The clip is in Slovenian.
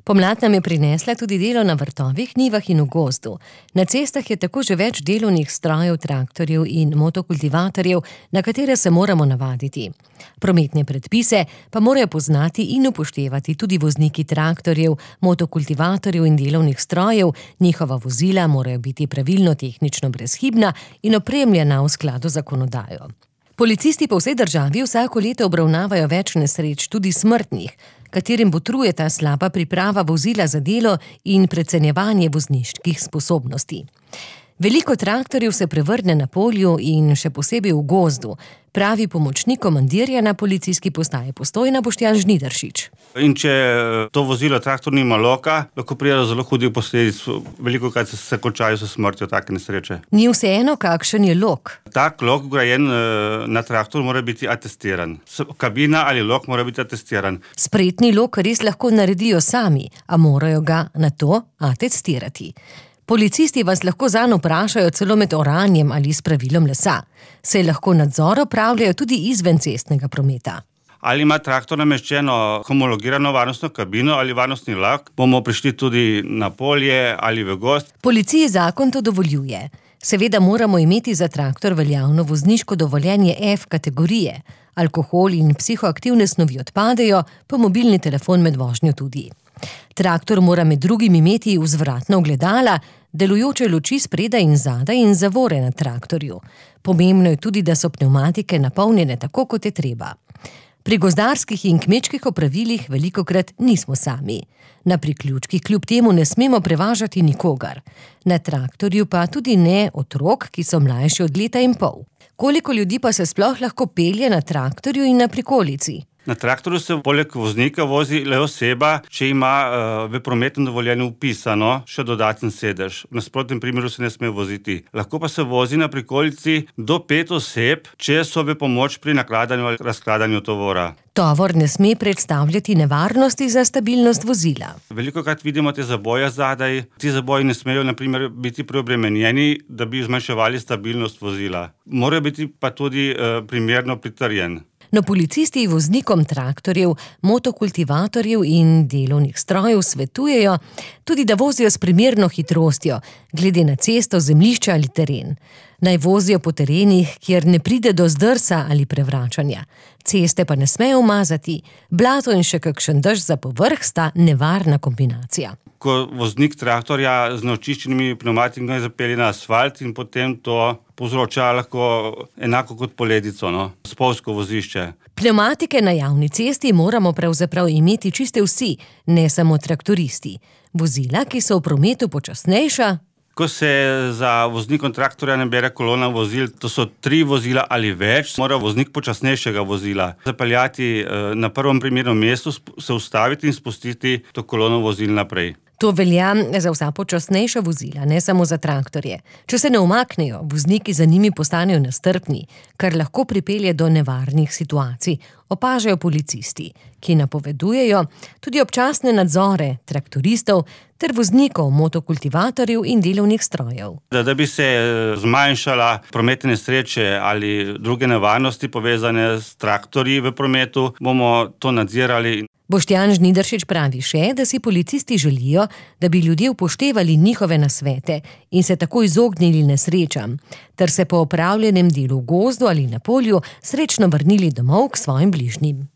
Pomlad nam je prinesla tudi delo na vrtovih, njivah in v gozdu. Na cestah je tako že več delovnih strojev, traktorjev in motokultivatorjev, na katere se moramo navaditi. Prometne predpise pa morajo poznati in upoštevati tudi vozniki traktorjev, motokultivatorjev in delovnih strojev, njihova vozila morajo biti pravilno tehnično brezhibna in opremljena v skladu z zakonodajo. Policisti po vsej državi vsako leto obravnavajo več nesreč, tudi smrtnih, katerim botruje ta slaba priprava vozila za delo in precenjevanje vozniških sposobnosti. Veliko traktorjev se prevrne na polju in še posebej v gozdu, pravi pomočnik komandirja na policijski postaji Postojna Boštjan Žnidaršič. In če to vozilo traktor nima loka, lahko pride do zelo hudih posledic, velikokrat se končajo s smrtjo take nesreče. Ni vseeno, kakšen je lok. Tak lok vgrajen na traktor mora biti atestiran. Kabina ali lok mora biti atestiran. Spretni lok res lahko naredijo sami, a morajo ga na to atestirati. Policisti vas lahko zanj vprašajo celo med oranjem ali spravilom lesa. Se lahko nadzor opravljajo tudi izven cestnega prometa. Ali ima traktor nameščeno homologirano varnostno kabino ali varnostni lak, bomo prišli tudi na polje ali v gozd. Policiji zakon to dovoljuje. Seveda moramo imeti za traktor veljavno vozniško dovoljenje F kategorije. Alkohol in psihoaktivne snovi odpadejo, pa mobilni telefon med vožnjo tudi. Traktor mora med drugim imeti vzvratna ogledala, delujoče luči spredaj in zadaj in zavore na traktorju. Pomembno je tudi, da so pnevmatike napolnjene tako, kot je treba. Pri gozdarskih in kmečkih opravilih velikokrat nismo sami. Na priključkih kljub temu ne smemo prevažati nikogar. Na traktorju pa tudi ne otrok, ki so mlajši od leta in pol. Koliko ljudi pa se sploh lahko pelje na traktorju in na prikolici? Na traktorju se poleg voznika vozi le oseba, če ima v prometnem dovoljenju vpisano še dodaten sedež. V nasprotnem primeru se ne sme voziti. Lahko pa se vozi na prikolici do 5 oseb, če so v pomoč pri nakladanju ali razkladanju tovora. Tovor ne sme predstavljati nevarnosti za stabilnost vozila. Velikokrat vidimo te zaboje zadaj. Ti zaboji ne smejo na primer biti preobremenjeni, da bi zmanjševali stabilnost vozila. Morajo biti pa tudi primerno pritrjen. No, policisti voznikom traktorjev, motokultivatorjev in delovnih strojev svetujejo tudi, da vozijo s primerno hitrostjo, glede na cesto, zemljišče ali teren. Naj vozijo po terenih, kjer ne pride do zdrsa ali prevračanja. Ceste pa ne smejo umazati. Blato in še kakšen dež za povrh sta nevarna kombinacija. Ko voznik traktorja z neočiščenimi pnevmatikami zapelje na asfalt in potem to povzroča lahko enako kot poledico, spolzko vozišče. Pnevmatike na javni cesti moramo pravzaprav imeti čiste vsi, ne samo traktoristi. Vozila, ki so v prometu počasnejša. Ko se za voznikom traktorja nabere kolona vozil, to so 3 vozila ali več, mora voznik počasnejšega vozila zapeljati na prvem primernem mestu, se ustaviti in spustiti to kolono vozil naprej. To velja za vsa počasnejša vozila, ne samo za traktorje. Če se ne umaknejo, vozniki za njimi postanejo nestrpni, kar lahko pripelje do nevarnih situacij, opažajo policisti, ki napovedujejo tudi občasne nadzore traktoristov ter voznikov, motokultivatorjev in delovnih strojev. Da bi se zmanjšala prometne nesreče ali druge nevarnosti povezane s traktorji v prometu, bomo to nadzirali. Boštjan Žnidaršič pravi še, da si policisti želijo, da bi ljudje upoštevali njihove nasvete in se tako izognili nesrečam, ter se po opravljenem delu v gozdu ali na polju srečno vrnili domov k svojim bližnjim.